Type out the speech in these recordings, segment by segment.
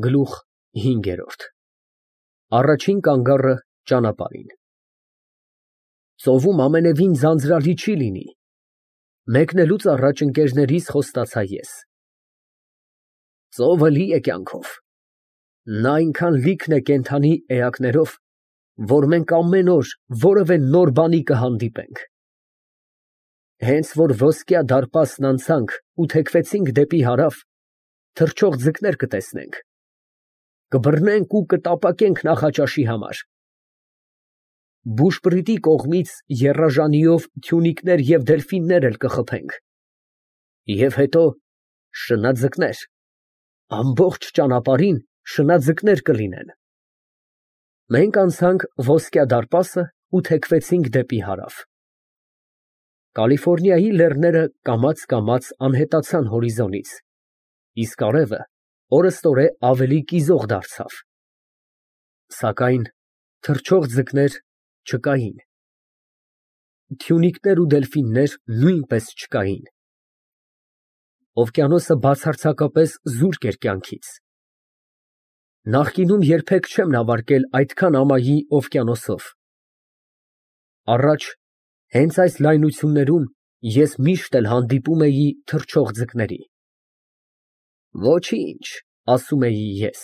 Գլուխ 5 Առաջին կանգառը ճանապարհին։ Ծովում ամենևին ձանձրալի չի լինի։ Մեկնելուց առաջ ընկերներիս խոստացա ես։ Ծովը լի է կյանքով։ Նա այնքան լիքն է կենդանի էակներով, որ մենք ամեն օր որևէ նոր բանի կհանդիպենք։ Հենց որ ոսկյա դարպասն անցանք ու թեքվեցինք դեպի հարավ, թռչող ձկներ կտեսնենք, կբռնենք ու կտապակենք Նախաճաշի համար։ Բուշպրիտի կողմից եռաժանիով թյունիկներ և դելֆիններ էլ կխփենք։ Եվ հետո շնաձկներ, ամբողջ ճանապարհին շնաձկներ կլինեն։ Մենք անցանք ոսկյա դարպասը ու թեքվեցինք դեպի հարավ։ Կալիֆոռնիայի լեռները կամաց անհետացան հորիզոնից, իսկ արևը օրըստօրե ավելի կիզող դարձավ։ Սակայն թռչող ձկներ չկային։ Թյունիկներ ու դելֆիններ նույնպես չկային։ Օվկիանոսը բացարձակապես զուրկ էր կյանքից։ Նախկինում երբեք չեմ նավարկել այդքան ամայի օվկիանոսով։ Առաջ, հենց այս լայնություններում ես միշտ էլ հանդիպում էի թռչող ձկների։ Ոչինչ, ասում էի ես,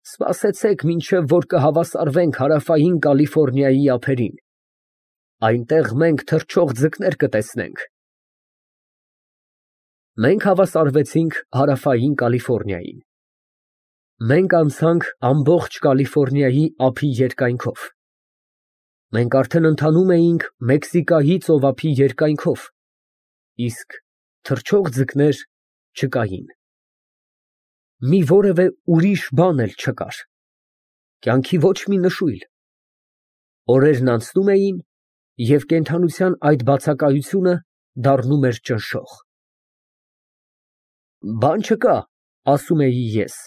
սպասեցեք մինչև որ կհավասարվենք հարավային Կալիֆոռնիայի ափերին, այնտեղ մենք թռչող ձկներ կտեսնենք։ Մենք հավասարվեցինք հարավային Կալիֆոռնիային։ Մենք անցանք ամբողջ Կալիֆոռնիայի ափի երկայնքով։ Մենք արդեն ընթանում էինք Մեքսիկայի ծովափի երկայնքով, իսկ թռչող ձկներ չկային։ Մի որևէ ուրիշ բան էլ չկար, կյանքի ոչ մի նշույլ։ Օրերն անցնում էին, և կենդանության այդ բացակայությունը դառնում էր ճնշող։ Բան չկա, ասում էի ես,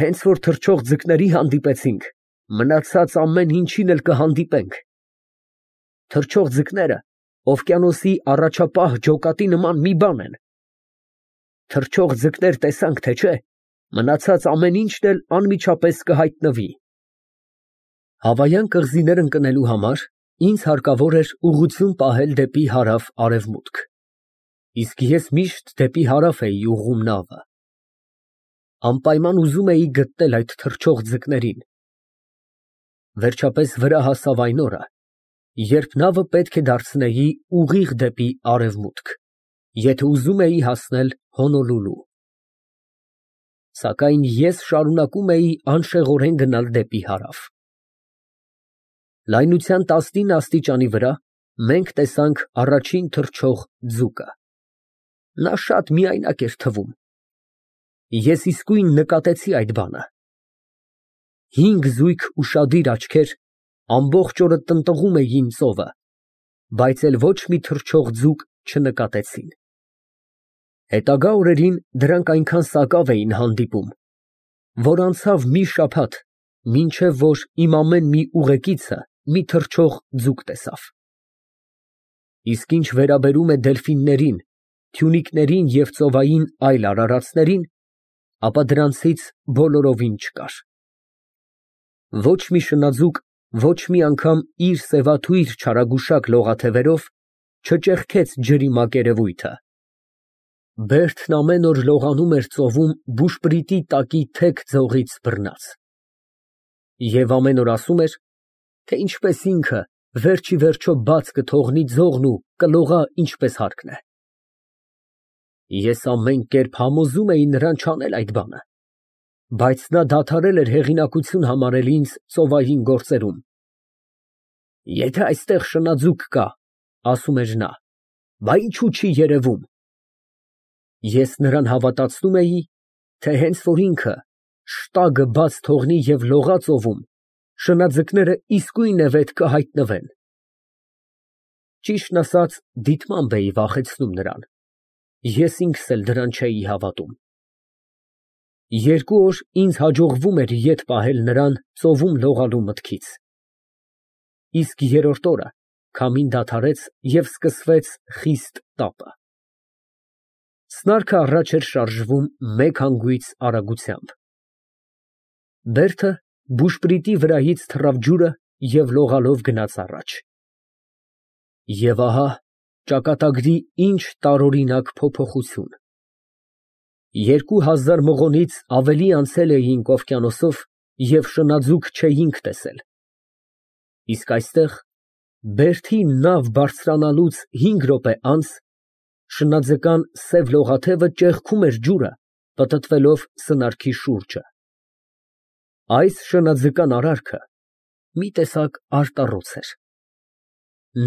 հենց որ թռչող ձկների հանդիպեցինք, մնացած ամեն ինչին էլ կհանդիպենք։ Թռչող ձկները օվկիանոսի առաջապահ ջոկատի նման մի բան են։ Թռչող ձկներ տեսանք, թե չէ, մնացած ամեն ինչն էլ անմիջապես կհայտնվի։ Հավայան կղզիներ ընկնելու համար ինձ հարկավոր էր ուղղություն պահել դեպի հարավ֊արևմուտք, իսկ ես միշտ դեպի հարավ էի ուղղում նավը։ Անպայման ուզում էի գտնել այդ թռչող ձկներին։ Վերջապես վրա հասավ այն օրը, երբ նավը պետք է դարձնեի ուղիղ դեպի արևմուտք, եթե ուզում էի հասնել Հոնոլուլու։ Սակայն ես շարունակում էի անշեղորեն գնալ դեպի հարավ։ Լայնության 19 աստիճանի վրա մենք տեսանք առաջին թռչող ձուկը։ Նա շատ միայնակ էր թվում։ Ես իսկույն նկատեցի այդ բանը։ 5 զույգ ուշադիր աչքեր ամբողջ օրը տնտղում էին ծովը, բայց էլ ոչ մի թռչող ձուկ չնկատեցին։ Հետագա օրերին դրանք այնքան սակավ էին հանդիպում, որ անցավ մի շաբաթ, մինչև որ իմ ամեն մի ուղեկիցը մի թռչող ձուկ տեսավ։ Իսկ ինչ վերաբերում է դելֆիններին, թյունիկներին և ծովային այլ արարածներին, ապա դրանցից բոլորովին չկար։ Ոչ մի շնաձուկ ոչ մի անգամ իր սևաթույր չարագուշակ լողաթևերով չճեղքեց ջրի մակերևույթը։ Բերդն ամեն օր լողանում էր ծովում բուշպրիտի տակի թեք ձողից բռնած։ Եվ ամեն օր ասում էր, թե ինչպես ինքը վերջիվերջո բաց կթողնի ձողն ու կլողա ինչպես հարկն է։ Ես ամեն կերպ համոզում էի նրան չանել այդ բանը, բայց նա դադարել էր հեղինակություն համարել ինձ ծովային գործերում։ Եթե այստեղ շնաձուկ կա, ասում էր նա, բա ինչու չի երևում։ Ես նրան հավատացնում էի, թե հենց որ ինքը շտագը բաց թողնի և լողա ծովում, շնաձկները իսկույնևեթ կհայտնվեն։ Ճիշտն ասած, դիտմամբ էի վախեցնում նրան, ես ինքս էլ դրան չէի հավատում։ 2 օր ինձ հաջողվում էր ետ պահել նրան ծովում լողալու մտքից։ Իսկ 3-րդ օրը քամին դադարեց և սկսվեց խիստ տապը։ Սնարքը առաջ էր շարժվում մեկ հանգույց արագությամբ։ Բերդը բուշպրիտի վրայից թռավ ջուրը և լողալով գնաց առաջ։ Եվ ահա ճակատագրի ինչ տարօրինակ փոփոխություն։ 2000 մղոնից ավելի անցել էինք օվկիանոսով և շնաձուկ չէինք տեսել։ Իսկ այստեղ, Բերդի նավ բարձրանալուց 5 րոպե անց, շնաձկան սև լողաթևը ճեղքում էր ջուրը, պտտվելով սնարքի շուրջը։ Այս շնաձկան արարքը մի տեսակ արտառոց էր։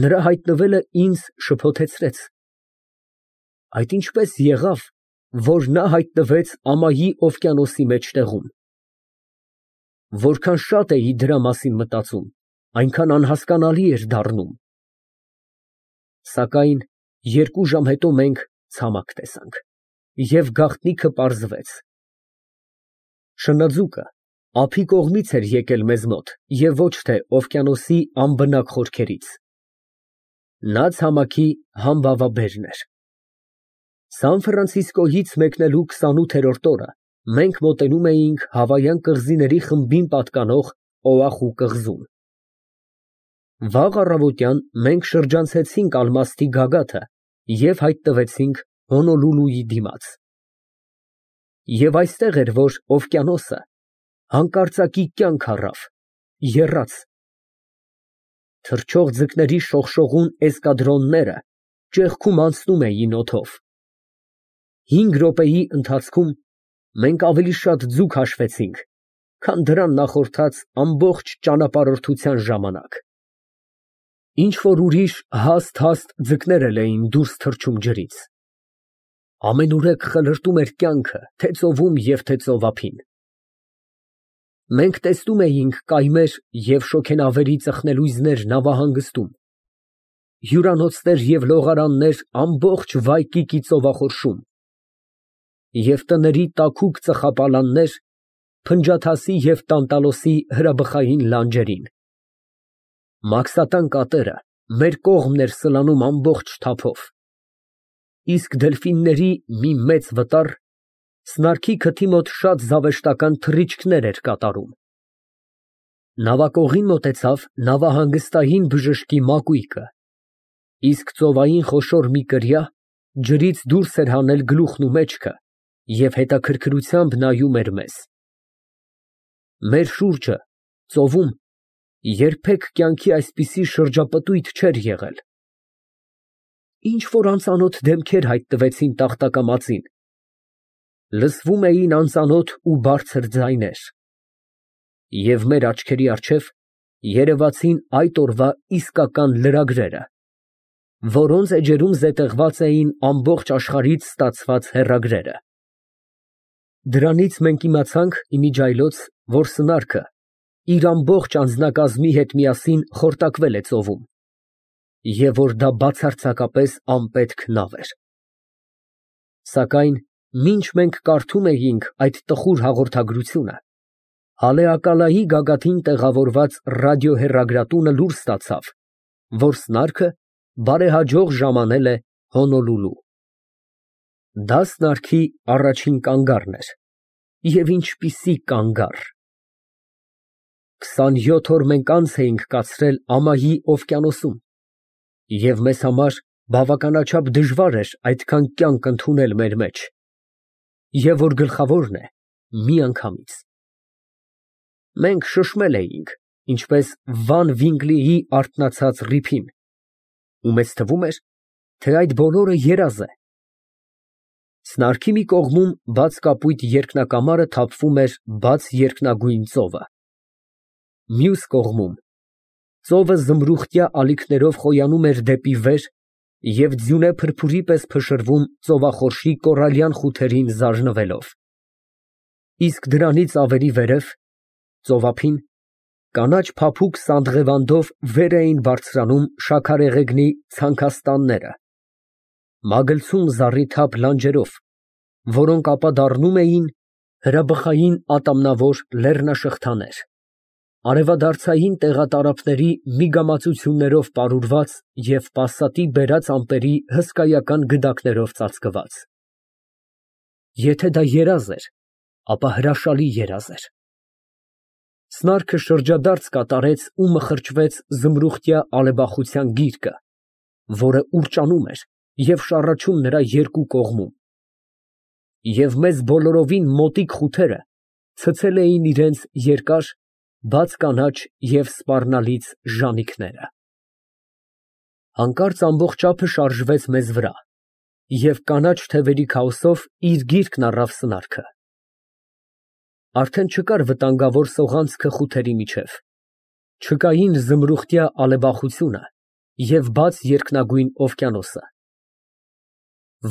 Նրա հայտնվելը ինձ շփոթեցրեց։ Այդ ինչպես եղավ, որ նա հայտնվեց ամայի օվկիանոսի մեջտեղում։ Որքան շատ էի դրա մասին մտածում, այնքան անհասկանալի էր դառնում։ Սակայն 2 ժամ հետո մենք ցամաք տեսանք, և գաղտնիքը պարզվեց։ Շնաձուկը ափի կողմից էր եկել մեզ մոտ և ոչ թե օվկիանոսի անբնակ խորքերից։ Նա ցամաքի համբավաբերն էր։ Սան Ֆրանցիսկոյից մեկնելու 28-րդ օրը մենք մոտենում էինք Հավայան կղզիների խմբին պատկանող Օախու կղզուն։ Վաղ առավոտյան մենք շրջանցեցինք Ալմաստի գագաթը և հայտնվեցինք Հոնոլուլուի դիմաց։ Եվ այստեղ էր, որ օվկիանոսը հանկարծակի կյանք առավ, եռաց։ Թռչող ձկների շողշողուն էսկադրոնները ճեղքում անցնում էին օդով։ 5 րոպեի ընթացքում մենք ավելի շատ ձուկ հաշվեցինք, քան դրան նախորդած ամբողջ ճանապարհորդության ժամանակ։ Ինչ֊որ ուրիշ հաստ ձկներ էլ էին դուրս թռչում ջրից։ Ամենուրեք խլրտում էր կյանքը թե ծովում և թե ծովափին։ Մենք տեսնում էինք կայմեր և շոգենավերի ծխնելույզներ նավահանգստում, հյուրանոցներ և լողարաններ ամբողջ Վայկիկի ծովախորշում և տների տաքուկ ծխապալաններ Փնջաթասի և Տանտալոսի հրաբխային լանջերին։ Մաքսատան կատերը մեր կողմն էր սլանում ամբողջ թափով, իսկ դելֆինների մի մեծ վտար սնարքի քթի մոտ շատ զավեշտական թռիչքներ էր կատարում։ Նավակողին մոտեցավ նավահանգստային բժշկի մակույկը, իսկ ծովային խոշոր մի կրիա ջրից դուրս էր հանել գլուխն ու մեջքը և հետաքրքրությամբ նայում էր մեզ։ Մեր շուրջը, ծովում, երբեք կյանքի այսպիսի շրջապտույտ չէր եղել։ Ինչ֊որ անծանոթ դեմքեր հայտնվեցին տախտակամածին, լսվում էին անծանոթ ու բարձր ձայներ, և մեր աչքերի առջև երևացին այդ օրվա իսկական լրագրերը, որոնց էջերում զետեղված էին ամբողջ աշխարհից ստացված հեռագրերը։ Դրանից մենք իմացանք իմիջիայլոց, որ սնարքը իր ամբողջ անձնակազմի հետ միասին խորտակվել է ծովում, և որ դա բացարձակապես անպետք նավ էր։ Սակայն մինչ մենք կարդում էինք այդ տխուր հաղորդագրությունը, Հալեակալայի գագաթին տեղավորված ռադիոհեռագրատունը լուր ստացավ, որ սնարքը բարեհաջող ժամանել է Հոնոլուլու։ Դա սնարքի առաջին կանգառն էր, և ինչպիսի կանգառ։ 27 օր մենք անց էինք կացրել ամայի օվկիանոսում, և մեզ համար բավականաչափ դժվար էր այդքան կյանք ընդունել մեր մեջ, և որ գլխավորն է, միանգամից։ Մենք շշմել էինք, ինչպես Վան Վինկլիի արթնացած ռիփին, ու մեզ թվում էր, թե այդ բոլորը երազ է։ Սնարքի մի կողմում բաց կապույտ երկնակամարը թափվում էր բաց երկնագույն ծովը։ Մյուս կողմում ծովը զմրուխտյա ալիքներով խոյանում էր դեպի վեր և ձյունե փրփուրի պես փշրվում ծովախորշի կորալյան խութերին զարնվելով։ Իսկ դրանից ավելի վերև, ծովափին, կանաչ փափուկ սանդղևանդով վեր էին բարձրանում շաքարեղեգնի ցանքաստանները, մագլցում զառիթափ լանջերով, որոնք ապա դառնում էին հրաբխային ատամնավոր լեռնաշղթաներ, արևադարձային տեղատարափների միգամածություններով պարուրված և պասատի բերած ամպերի հսկայական գդակներով ծածկված։ Եթե դա երազ էր, ապա հրաշալի երազ էր։ Սնարքը շրջադարձ կատարեց ու մխրճվեց զմրուխտյա ալեբախության գիրկը, որը ուռճանում էր և շառաչում նրա երկու կողմում, և մեզ բոլորովին մոտիկ խութերը ցցել էին իրանց երկար, բաց կանաչ և սպառնալից ժանիքները։ Հանկարծ ամբողջ ափը շարժվեց մեզ վրա, և կանաչ թևերի քաոսով իր գիրկն առավ սնարքը։ Արդեն չկար վտանգավոր սողանցքը խութերի միջև, չկային զմրուխտյա ալեբախությունը և բաց երկնագույն օվկիանոսը։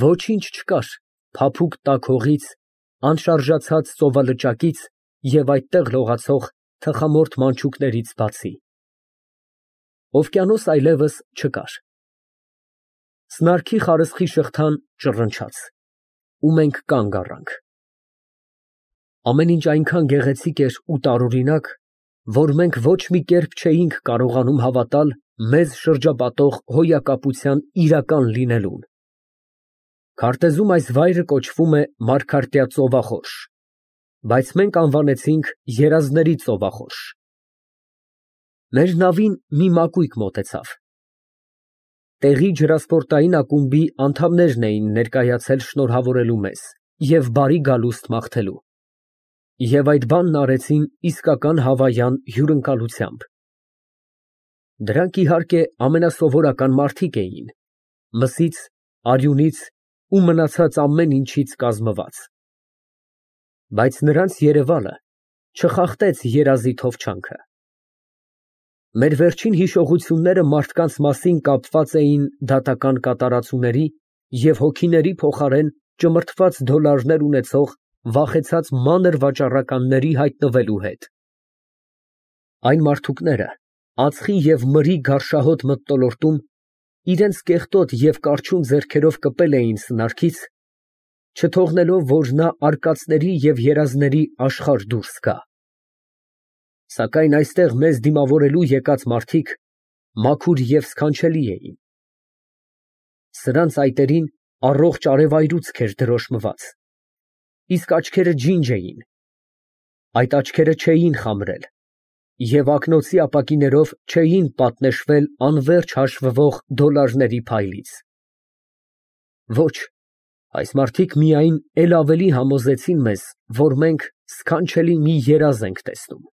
Ոչինչ չկար փափուկ տաք հողից, անշարժացած ծովալճակից և այդտեղ լողացող թխամորթ մանչուկներից բացի։ Օվկիանոս այլևս չկար։ Սնարքի խարսխի շղթան ճռնչաց, ու մենք կանգ առանք։ Ամեն ինչ այնքան գեղեցիկ էր ու տարօրինակ, որ մենք ոչ մի կերպ չէինք կարողանում հավատալ մեզ շրջապատող հոյակապության իրական լինելուն։ Քարտեզում այս վայրը կոչվում է Մարգարտյա ծովախորշ, բայց մենք անվանեցինք երազների ծովախորշ։ Մեր նավին մի մակույկ մոտեցավ։ Տեղի ջրասպորտային ակումբի անդամներն էին ներկայացել շնորհավորելու մեզ և բարի գալուստ մաղթելու, և այդ բանն արեցին իսկական հավայան հյուրընկալությամբ։ Դրանք, իհարկե, ամենասովորական մարդիկ էին, մսից, արյունից ու մնացած ամեն ինչից կազմված, բայց նրանց երևալը չխախտեց երազի թովչանքը։ Մեր վերջին հիշողությունները մարդկանց մասին կապված էին դատական կատարածուների և հոգիների փոխարեն ճմրթված դոլարներ ունեցող վախեցած մանր վաճառականների հայտնվելու հետ։ Այն մարդուկները, ածխի և մրի գարշահոտ մթնոլորտում, իրենց կեղտոտ և կարչուն ձեռքերով կպել էին սնարքից, չթողնելով, որ նա արկածների և երազների աշխարհ դուրս գա։ Սակայն այստեղ մեզ դիմավորելու եկած մարդիկ մաքուր և սքանչելի էին։ Սրանց այտերին առողջ արևայրուցք էր դրոշմված, իսկ աչքերը ջինջ էին, այդ աչքերը չէին խամրել և ակնոցի ապակիներով չէին պատնեշվել անվերջ հաշվվող դոլարների փայլից։ Ոչ, այս մարդիկ միայն էլ ավելի համոզեցին մեզ, որ մենք սքանչելի մի երազ ենք տեսնում։